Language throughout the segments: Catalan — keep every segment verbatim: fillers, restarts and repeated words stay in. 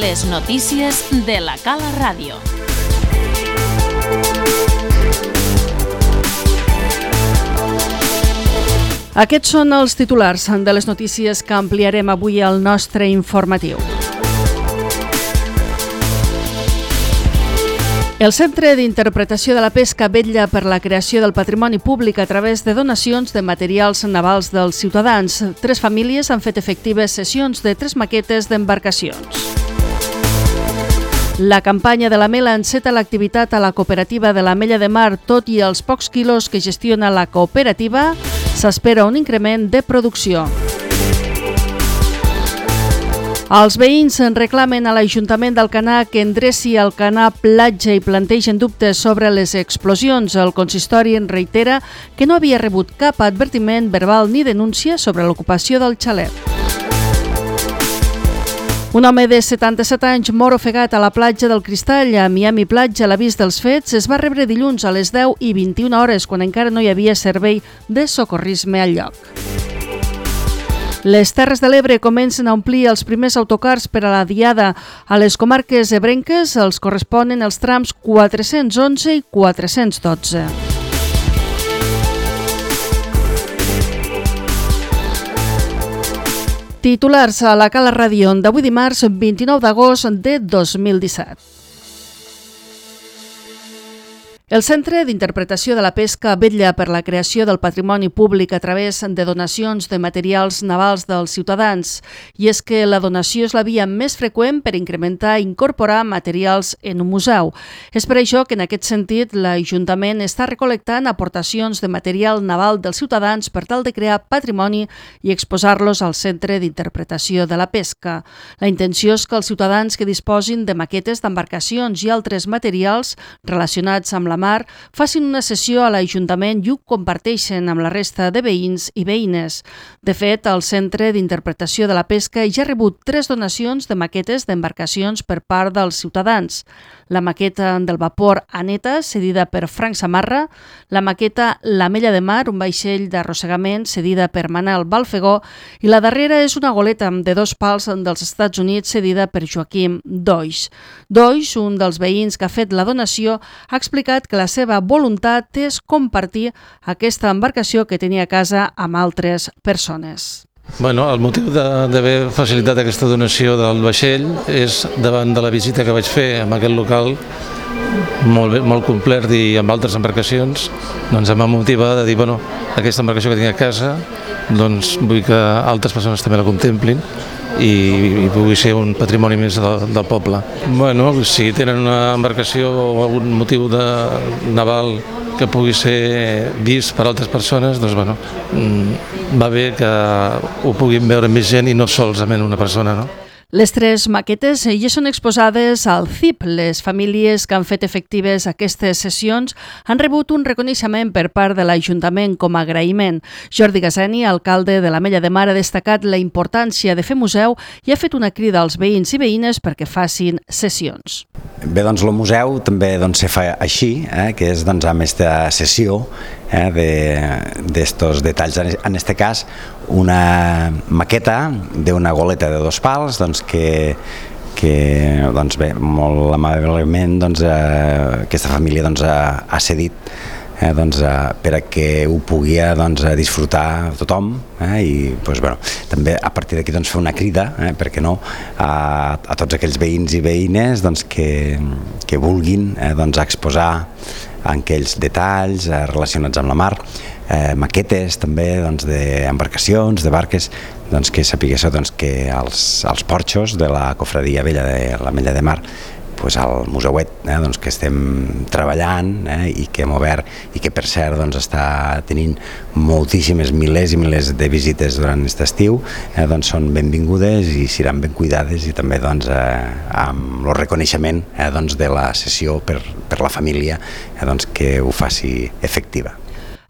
Les notícies de la Cala Ràdio. Aquests són els titulars de les notícies que ampliarem avui al nostre informatiu. El Centre d'Interpretació de la Pesca vetlla per la creació del patrimoni públic a través de donacions de materials navals dels ciutadans. Tres famílies han fet efectives sessions de tres maquetes d'embarcacions. La campanya de la Mela enceta l'activitat a la cooperativa de l'Ametlla de Mar. Tot i els pocs quilos que gestiona la cooperativa, s'espera un increment de producció. Els veïns reclamen a l'Ajuntament d'Alcanar que endreci el canal platja i plantegen dubtes sobre les explosions. El consistori en reitera que no havia rebut cap advertiment verbal ni denúncia sobre l'ocupació del xalet. Un home de setanta-set anys mor ofegat a la platja del Cristall, a Miami Platja. L'avís dels fets es va rebre dilluns a les deu i vint-i-una hores, quan encara no hi havia servei de socorrisme al lloc. Les Terres de l'Ebre comencen a omplir els primers autocars per a la Diada. A les comarques ebrenques els corresponen els trams quatre-cents onze i quatre-cents dotze. Titulars a la Cala Ràdio d'avui dimarts vint-i-nou d'agost de dos mil disset. El Centre d'Interpretació de la Pesca vetlla per la creació del patrimoni públic a través de donacions de materials navals dels ciutadans. I és que la donació és la via més freqüent per incrementar i incorporar materials en un museu. És per això que en aquest sentit l'Ajuntament està recol·lectant aportacions de material naval dels ciutadans per tal de crear patrimoni i exposar-los al Centre d'Interpretació de la Pesca. La intenció és que els ciutadans que disposin de maquetes d'embarcacions i altres materials relacionats amb la mar facin una sessió a l'Ajuntament i ho comparteixen amb la resta de veïns i veïnes. De fet, el Centre d'Interpretació de la Pesca ja ha rebut tres donacions de maquetes d'embarcacions per part dels ciutadans. La maqueta del vapor Aneta, cedida per Frank Samarra, la maqueta l'Ametlla de Mar, un vaixell d'arrossegament, cedida per Manel Balfegó, i la darrera és una goleta de dos pals dels Estats Units, cedida per Joaquim Doix. Doix, un dels veïns que ha fet la donació, ha explicat que la seva voluntat és compartir aquesta embarcació que tenia a casa amb altres persones. Bueno, el motiu d'haver facilitat aquesta donació del vaixell és davant de la visita que vaig fer en aquest local molt, bé, molt complet i amb altres embarcacions, doncs em va motivar de dir, bueno, aquesta embarcació que tinc a casa, doncs vull que altres persones també la contemplin i, i pugui ser un patrimoni més del, del poble. Bueno, si tenen una embarcació o algun motiu de naval que pugui ser vist per altres persones, doncs bueno, va bé que ho puguin veure més gent i no solament una persona, no? Les tres maquetes ja són exposades al C I P. Les famílies que han fet efectives aquestes sessions han rebut un reconeixement per part de l'Ajuntament com a agraïment. Jordi Gaseni, alcalde de l'Ametlla de Mar, ha destacat la importància de fer museu i ha fet una crida als veïns i veïnes perquè facin sessions. Bé, doncs el museu també doncs, se fa així, eh, que és doncs, amb aquesta sessió eh, d'estos de, detalls. En aquest cas, una maqueta d'una goleta de dos pals doncs, que, que doncs, bé, molt amablement doncs, eh, aquesta família doncs, ha, ha cedit eh, doncs, eh, per a que ho pugui doncs, disfrutar tothom eh, i doncs, bueno, també a partir d'aquí doncs, fer una crida, eh, per què no, a, a tots aquells veïns i veïnes doncs, que, que vulguin eh, doncs, exposar aquells detalls eh, relacionats amb la mar, eh, maquetes també doncs, d'embarcacions, de barques, doncs, que sapiguéssiu doncs, que els, els porxos de la cofradia vella de l'Ametlla de Mar, pues, al museuet eh, doncs, que estem treballant eh, i que hem obert i que per cert doncs, està tenint moltíssimes milers i milers de visites durant aquest estiu, eh, doncs, són benvingudes i seran ben cuidades i també doncs, eh, amb el reconeixement eh, doncs, de la sessió per, per la família eh, doncs, que ho faci efectiva.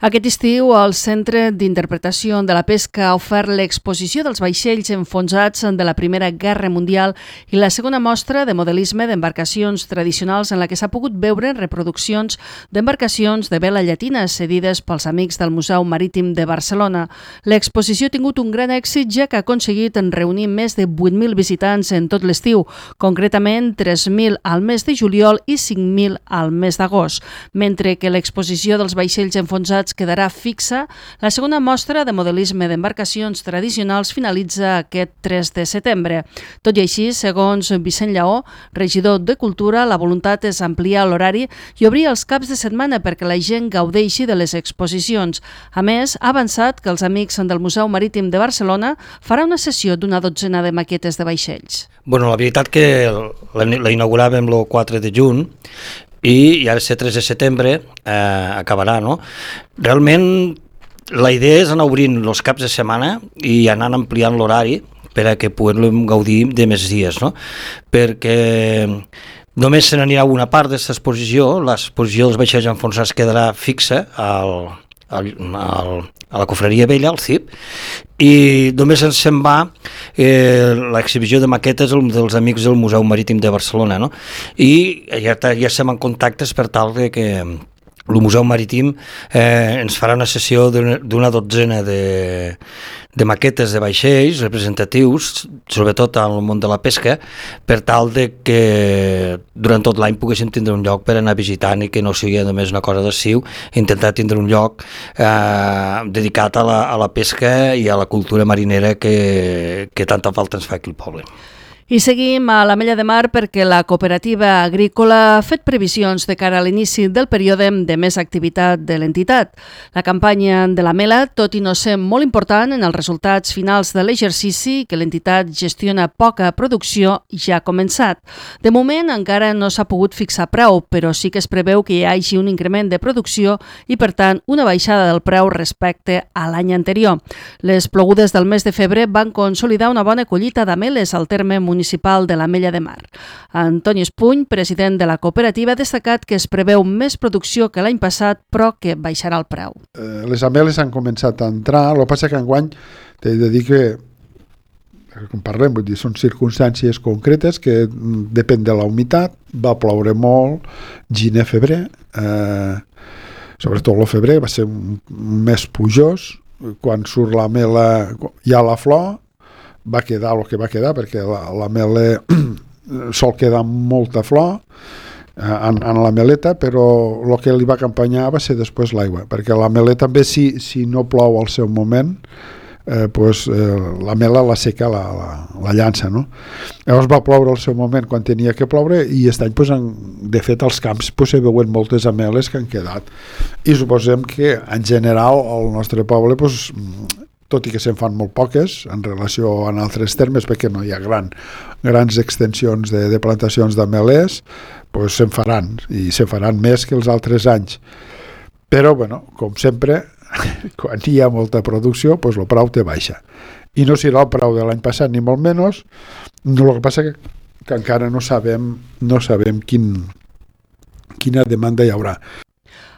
Aquest estiu, el Centre d'Interpretació de la Pesca ha ofert l'exposició dels vaixells enfonsats de la Primera Guerra Mundial i la segona mostra de modelisme d'embarcacions tradicionals en la que s'ha pogut veure reproduccions d'embarcacions de vela llatina cedides pels amics del Museu Marítim de Barcelona. L'exposició ha tingut un gran èxit, ja que ha aconseguit reunir més de vuit mil visitants en tot l'estiu, concretament tres mil al mes de juliol i cinc mil al mes d'agost. Mentre que l'exposició dels vaixells enfonsats quedarà fixa, la segona mostra de modelisme d'embarcacions tradicionals finalitza aquest tres de setembre. Tot i així, segons Vicent Lleó, regidor de Cultura, la voluntat és ampliar l'horari i obrir els caps de setmana perquè la gent gaudeixi de les exposicions. A més, ha avançat que els amics del Museu Marítim de Barcelona farà una sessió d'una dotzena de maquetes de vaixells. Bueno, la veritat que la, la inauguràvem el quatre de juny i, i ara ser tres de setembre eh, acabarà, no? Realment la idea és anar obrint els caps de setmana i anar ampliant l'horari per a que puguem gaudir de més dies, no? Perquè només se n'anirà una part d'aquesta exposició, l'exposició dels vaixells enfonsats quedarà fixa al, al, al, a la Cofreria Vella, al C I P, i només ens se'n va eh, l'exhibició de maquetes dels amics del Museu Marítim de Barcelona, no? I ja, ja estem en contactes per tal de que el Museu Marítim eh, ens farà una sessió d'una dotzena de, de maquetes de vaixells representatius, sobretot al món de la pesca, per tal de que durant tot l'any poguéssim tindre un lloc per anar visitant i que no sigui només una cosa d'estiu, intentar tindre un lloc eh, dedicat a la, a la pesca i a la cultura marinera que, que tanta falta ens fa aquí al poble. I seguim a l'Ametlla de Mar perquè la cooperativa agrícola ha fet previsions de cara a l'inici del període de més activitat de l'entitat. La campanya de la mela, tot i no ser molt important en els resultats finals de l'exercici, que l'entitat gestiona poca producció, ja ha començat. De moment encara no s'ha pogut fixar preu, però sí que es preveu que hi hagi un increment de producció i, per tant, una baixada del preu respecte a l'any anterior. Les plogudes del mes de febrer van consolidar una bona collita d'ameles al terme municipal municipal de l'Ametlla de Mar. Antoni Espuny, president de la cooperativa, ha destacat que es preveu més producció que l'any passat, però que baixarà el preu. Eh, les ameles han començat a entrar, el que passa que enguany t'he de dir que, com parlem, vull dir, són circumstàncies concretes que depèn de la humitat, va ploure molt, gener, febrer, eh, sobretot el febrer va ser un, un mes plujós, quan surt la mela, hi ha la flor, va quedar el que va quedar, perquè la, la mele sol quedar molta flor eh, en, en la meleta, però el que li va acompanyar va ser després l'aigua, perquè la meleta també, si, si no plou al seu moment, eh, pues, eh, la mela la seca la, la, la llança, no? Llavors va ploure al seu moment quan tenia que ploure i aquest any, pues, en, de fet, als camps pues, se veuen moltes ameles que han quedat. I suposem que, en general, al nostre poble, pues, tot i que se'n fan molt poques en relació a altres termes, perquè no hi ha gran, grans extensions de, de plantacions d'amelers, pues se'n faran, i se'n faran més que els altres anys. Però, bueno, com sempre, quan hi ha molta producció, pues el preu te baixa. I no serà el preu de l'any passat, ni molt menys, el que passa que, que encara no sabem, no sabem quin, quina demanda hi haurà.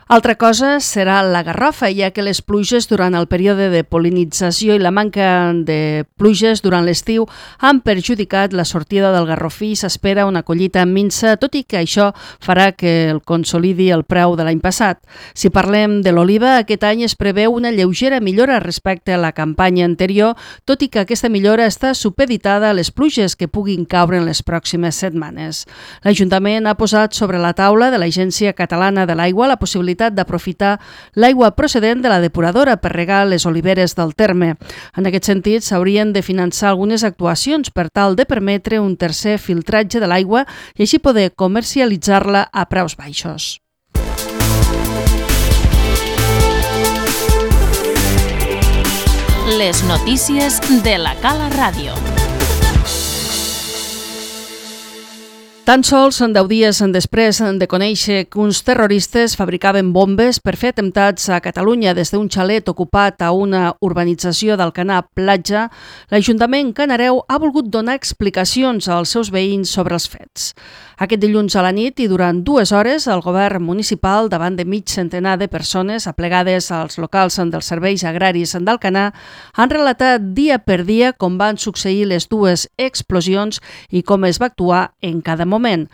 Altra cosa serà la garrofa, ja que les pluges durant el període de pol·linització i la manca de pluges durant l'estiu han perjudicat la sortida del garrofí i s'espera una collita minsa, tot i que això farà que el consolidi el preu de l'any passat. Si parlem de l'oliva, aquest any es preveu una lleugera millora respecte a la campanya anterior, tot i que aquesta millora està supeditada a les pluges que puguin caure en les pròximes setmanes. L'Ajuntament ha posat sobre la taula de l'Agència Catalana de l'Aigua la possibilitat d'aprofitar l'aigua procedent de la depuradora per regar les oliveres del terme. En aquest sentit, s'haurien de finançar algunes actuacions per tal de permetre un tercer filtratge de l'aigua i així poder comercialitzar-la a preus baixos. Les notícies de la Cala Ràdio. Tan sols deu dies després de conèixer que uns terroristes fabricaven bombes per fer atemptats a Catalunya des d'un xalet ocupat a una urbanització d'Alcanar Platja, l'Ajuntament canareu ha volgut donar explicacions als seus veïns sobre els fets. Aquest dilluns a la nit i durant dues hores, el govern municipal, davant de mig centenar de persones aplegades als locals dels serveis agraris d'Alcanar, han relatat dia per dia com van succeir les dues explosions i com es va actuar en cada moment.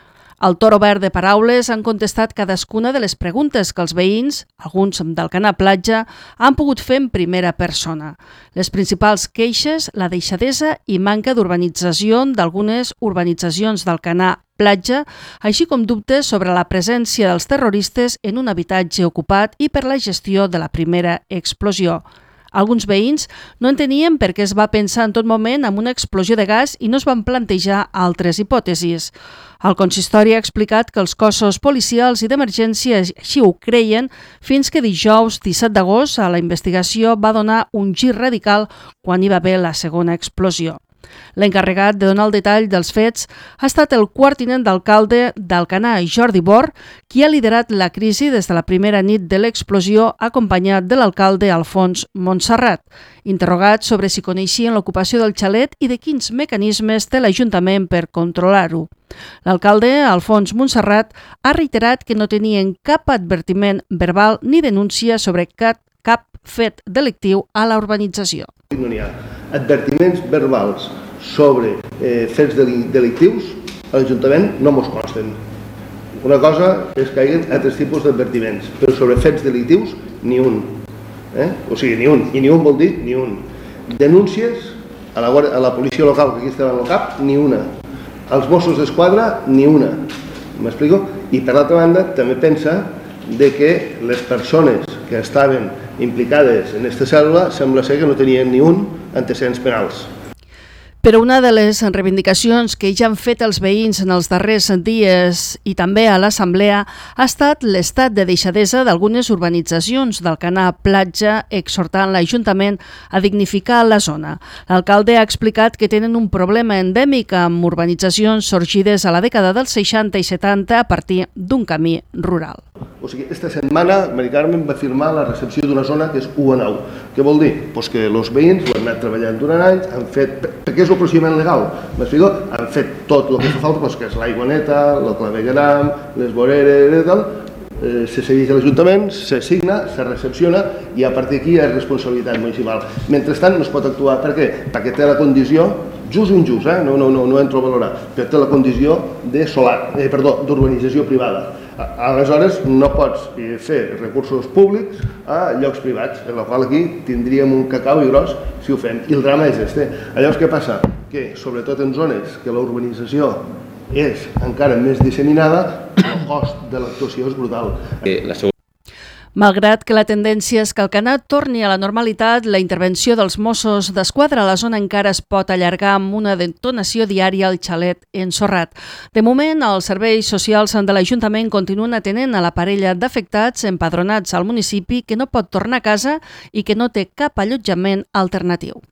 Al torn obert de paraules han contestat cadascuna de les preguntes que els veïns, alguns d'Alcanar Platja, han pogut fer en primera persona. Les principals queixes, la deixadesa i manca d'urbanització d'algunes urbanitzacions d'Alcanar Platja, així com dubtes sobre la presència dels terroristes en un habitatge ocupat i per la gestió de la primera explosió. Alguns veïns no entenien per què es va pensar en tot moment en una explosió de gas i no es van plantejar altres hipòtesis. El consistori ha explicat que els cossos policials i d'emergència així ho creien fins que dijous disset d'agost a la investigació va donar un gir radical quan hi va haver la segona explosió. L'encarregat de donar el detall dels fets ha estat el quart tinent d'alcalde d'Alcanar, Jordi Bor, qui ha liderat la crisi des de la primera nit de l'explosió, acompanyat de l'alcalde Alfons Montserrat, interrogat sobre si coneixien l'ocupació del xalet i de quins mecanismes té l'Ajuntament per controlar-ho. L'alcalde, Alfons Montserrat, ha reiterat que no tenien cap advertiment verbal ni denúncia sobre cap, cap fet delictiu a la urbanització. No n'hi ha advertiments verbals sobre eh, fets delictius, a l'Ajuntament no mos consten. Una cosa és que hi ha altres tipus d'advertiments, però sobre fets delictius, ni un. Eh? O sigui, ni un. I ni un vol dir ni un. Denúncies a la, a la policia local, que aquí estava al cap, ni una. Als Mossos d'Esquadra, ni una. M'explico? I per l'altra banda, també pensa de que les persones que estaven implicades en aquesta cèl·lula sembla ser que no tenien ni un antecedents penals. Però una de les reivindicacions que ja han fet els veïns en els darrers dies i també a l'Assemblea ha estat l'estat de deixadesa d'algunes urbanitzacions d'Alcanar Platja, exhortant l'Ajuntament a dignificar la zona. L'alcalde ha explicat que tenen un problema endèmic amb urbanitzacions sorgides a la dècada dels seixanta i setanta a partir d'un camí rural. O sigui, esta setmana Mari Carmen va firmar la recepció d'una zona que és u a nou. Què vol dir? Pues que els veïns ho han anat treballant durant anys, han fet, perquè és el procediment legal, m'explico? Han fet tot el que fa falta, pues, que és l'aigua neta, el clavegueram, les voreres i tal, eh, se segueix a l'Ajuntament, se signa, se recepciona i a partir d'aquí és responsabilitat municipal. Mentrestant no es pot actuar, per què? Perquè té la condició, just o injust, eh? no, no, no, no entro a valorar, però té la condició de solar, eh, perdó, d'urbanització privada. Aleshores no pots fer recursos públics a llocs privats, en la qual aquí tindríem un cacau i gros si ho fem. I el drama és este. Llavors què passa? Que sobretot en zones que la urbanització és encara més disseminada, el cost de l'actuació és brutal. La segona Malgrat que la tendència és que Alcanar torni a la normalitat, la intervenció dels Mossos d'Esquadra a la zona encara es pot allargar amb una detonació diària al xalet ensorrat. De moment, els serveis socials de l'Ajuntament continuen atenent a la parella d'afectats empadronats al municipi que no pot tornar a casa i que no té cap allotjament alternatiu.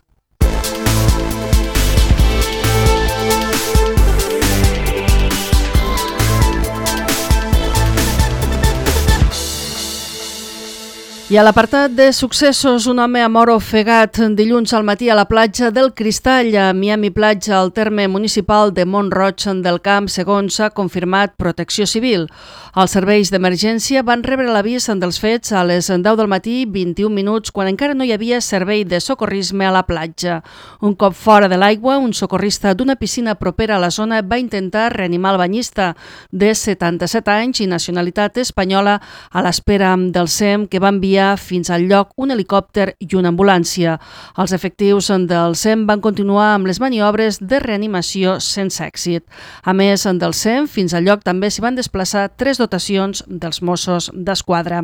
I a l'apartat de successos, un home ha mort ofegat dilluns al matí a la platja del Cristall, a Miami Platja, al terme municipal de Mont-roig del Camp, segons ha confirmat Protecció Civil. Els serveis d'emergència van rebre l'avís dels fets a les deu del matí, vint-i-un minuts, quan encara no hi havia servei de socorrisme a la platja. Un cop fora de l'aigua, un socorrista d'una piscina propera a la zona va intentar reanimar el banyista de setanta-set anys i nacionalitat espanyola a l'espera del S E M, que va enviar fins al lloc un helicòpter i una ambulància. Els efectius del S E M van continuar amb les maniobres de reanimació sense èxit. A més del S E M, fins al lloc també s'hi van desplaçar tres dotacions dels Mossos d'Esquadra.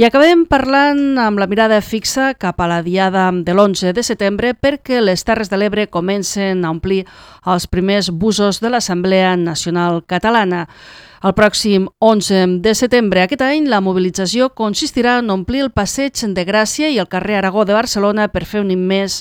I acabem parlant amb la mirada fixa cap a la diada de l'onze de setembre perquè les Terres de l'Ebre comencen a omplir els primers busos de l'Assemblea Nacional Catalana. El pròxim onze de setembre aquest any, la mobilització consistirà en omplir el Passeig de Gràcia i el carrer Aragó de Barcelona per fer un immens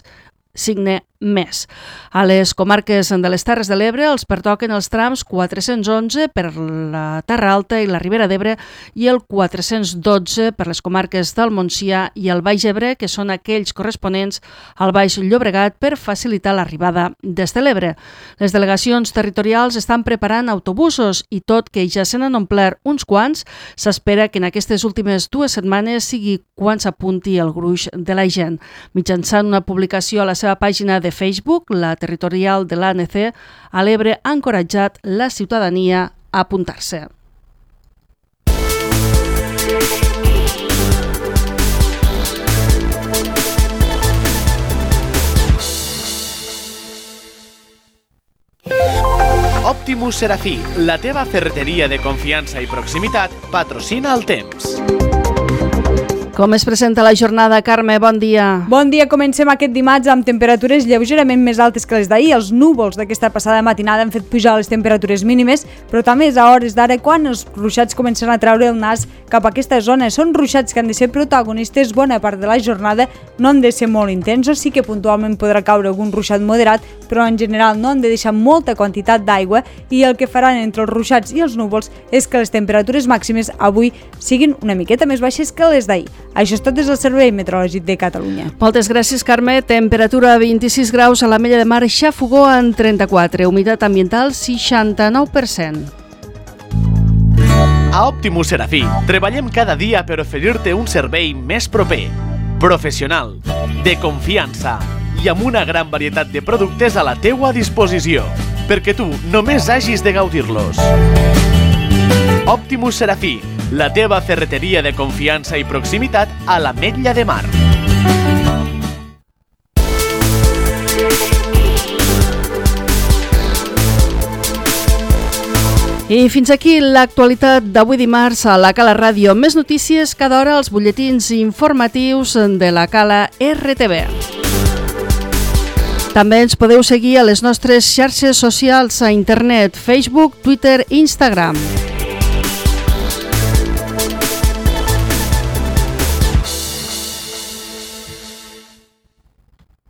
signe més. A les comarques de les Terres de l'Ebre els pertoquen els trams quatre-cents onze per la Terra Alta i la Ribera d'Ebre i el quatre-cents dotze per les comarques del Montsià i el Baix Ebre, que són aquells corresponents al Baix Llobregat per facilitar l'arribada des de l'Ebre. Les delegacions territorials estan preparant autobusos i tot que ja se n'han omplert uns quants, s'espera que en aquestes últimes dues setmanes sigui quan s'apunti el gruix de la gent. Mitjançant una publicació a la seva pàgina de Facebook, la territorial de l'A N C a l'Ebre ha encoratjat la ciutadania a apuntar-se. Optimus Serafí, la teva ferreteria de confiança i proximitat, patrocina el temps. Com es presenta la jornada, Carme? Bon dia. Bon dia. Comencem aquest dimarts amb temperatures lleugerament més altes que les d'ahir. Els núvols d'aquesta passada matinada han fet pujar les temperatures mínimes, però també és a hores d'ara quan els ruixats comencen a treure el nas cap a aquesta zona. Són ruixats que han de ser protagonistes bona part de la jornada, no han de ser molt intensos, sí que puntualment podrà caure algun ruixat moderat, però en general no han de deixar molta quantitat d'aigua i el que faran entre els ruixats i els núvols és que les temperatures màximes avui siguin una miqueta més baixes que les d'ahir. Això és tot des del Servei Meteorològic de Catalunya. Moltes gràcies, Carme. Temperatura vint-i-sis graus a l'Ametlla de Mar, xafogó en trenta-quatre, humitat ambiental seixanta-nou per cent. A Optimus Serafí treballem cada dia per oferir-te un servei més proper, professional, de confiança i amb una gran varietat de productes a la teua disposició, perquè tu només hagis de gaudir-los. Optimus Serafí, la teva ferreteria de confiança i proximitat a l'Ametlla de Mar. I fins aquí l'actualitat d'avui dimarts a la Cala Ràdio. Més notícies cada hora als butlletins informatius de la Cala R T V. També ens podeu seguir a les nostres xarxes socials a internet, Facebook, Twitter i Instagram.